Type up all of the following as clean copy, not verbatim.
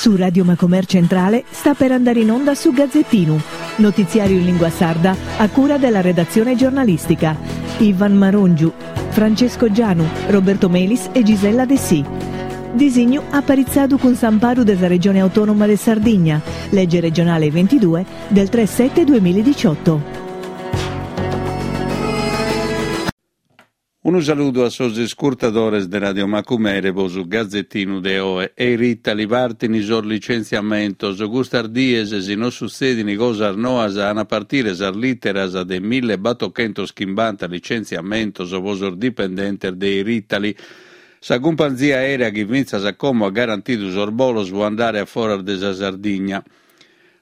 Su Radio Macomer Centrale sta per andare in onda su Gazzettinu, notiziario in lingua sarda a cura della redazione giornalistica. Ivan Marongiu, Francesco Gianu, Roberto Melis e Gisella Dessì. Disignu aparitzadu cun s'amparu de sa Regione Autonoma de Sardigna, lege regionale 22 del 3 7 2018. Unu saludu a sos iscurtadores de Radio Macumere po su Gazettinu de oe. Air Italy partini sos licentziamentos. Custas dies, si no sutzedini cosas noas, an a partire sas literas de millebatochentochimbanta licentziamentos po sos dipendentes de Air Italy. Sa cumpanzia aerea chi fintzas a como at garantidu sos bolos po andare a foras de sa Sardigna.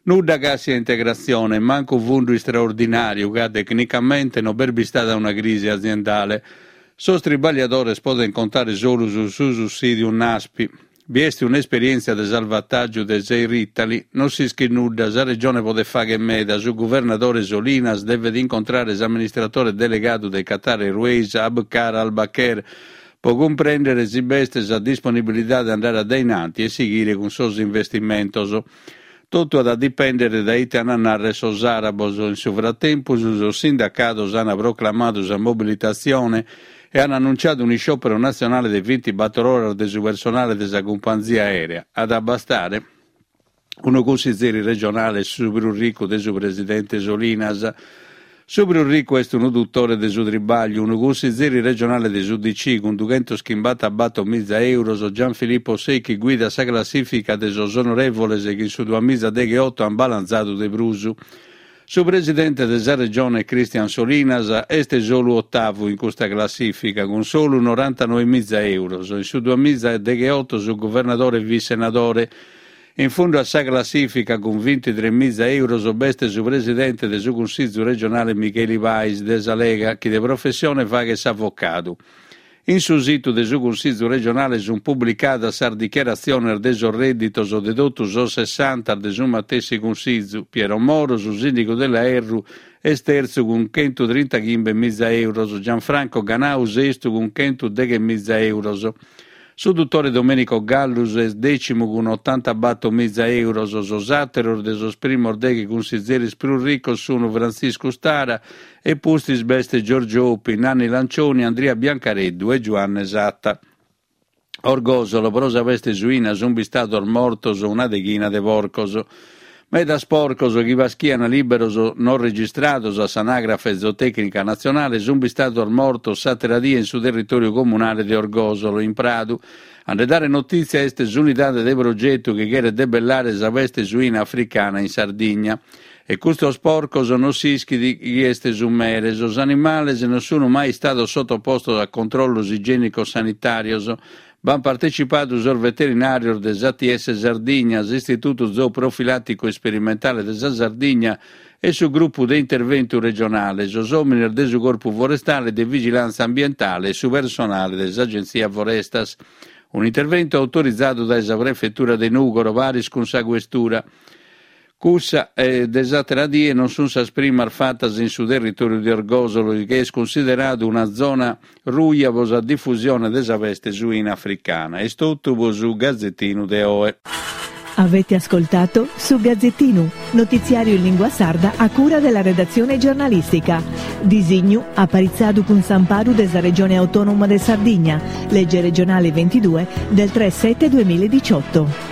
Nudda càssia integratzione, mancu fundu istraordinàriu ca tecnicamente no b'est bistada una crisi aziendale. Sos tribagliadores podent contare solu su su sussìdiu Naspi. Bi est un'esperièntzia de salvatàgiu de s'Air Italy, non s'ischit nudda, sa Regione podet fàghere meda, su guvernadore Solinas devet incontrare s'amministratore delegadu de Qatar Airways Abkar Al Baker pro cumprèndere si b'est sa disponibilidade de andare a dae in anti e sighire cun sos investimentos. Totu at a dipèndere dae ite an a nàrrere sos àrabos. In su fratempus sos sindacados an proclamadu sa mobilitatzione e an annunciadu un'isciòpero natzionale de bintibator oras de su personale de sa cumpanzia aèrea. At a bastare? Unu cussizeri regionale est su prus ricu de su presidente Solinas. Su prus ricu est unu dutore de su tribagliu, unu cussizeri regionale de s'UDC cun dughentoschimbatabator-miza euros, Gianfilippo Sechi guidat sa classifica de sos onorevoles chi in su duamizadeghioto an balanzadu de prus. Su presidente de sa Regione Christian Solinas est solu otavu in custa classifica cun solu norantanoemiza euros. In su duamizadeghioto su guvernadore fit senadore. In fundu a sa classìfica, cun bintitremiza euros, b'est su presidente de su Cunsìgiu regionale Micheli Pais, de sa Lega, chi de professione faghet s'avocadu. In su situ de su Cunsìgiu regionale sunt publicadas sas dichiaratziones de sos rèdditos de totu sos sessanta de su matessi Cunsìgiu. Piero Moro, su sìndigu de Laerru, est tertzu cun chentutrintachimbemiza euros, Gianfranco Ganau sestu cun chentudechemiza euros. Su dutore Domenico Gallus est dècimu cun otantabator-miza euros, sos àteros de sos primos deghe cunsizeris prus ricos sun Frantziscu Stara e pustis b'est Giorgio Oppi, Nanni Lancioni, Andria Biancareddu e Giuanne Satta. Orgòsolo, pro sa peste suina sunt bistados mortos una deghina de porcos. Medas porcos chi paschian lìberos non registrados a s'Anàgrafe Zootècnica Natzionale sunt bistados mortos s'àtera die in su territòriu comunale de Orgòsolo, in Pradu. A nde dare notìtzia est s'unidade de progetu chi cheret debellare sa peste suina africana in Sardigna. E custos porcos non s'ischit chie est su mere. Sos animales non sunt mai istados sotopostos a controllos igiènicos sanitàrios. B'ant partecipadu sos veterinàrios de s'ATS Sardigna, s'Istitutu Zooprofilàticu Isperimentale de sa Sardigna e su Grupu de Interventu Regionale, sos òmines de su Corpu Forestale de Vigilàntzia Ambientale e su personale de s'Agentzia Forestas. Un'interventu autorizadu dae sa Prefetura de Nùgoro paris cun sa Questura. Cussa de s'àtera die non sunt sas primas fatas in su territòriu de Orgòsolo, chi est cunsideradu una zona ruja pro sa difusione de sa peste suina africana. Est totu pro su Gazetinu de oe. Avete ascoltato Su Gazzettinu, notiziario in lingua sarda a cura della redazione giornalistica. Disignu aparitzadu cun s'amparu de sa Regione Autonoma de Sardigna, legge regionale 22 del 3 7 2018.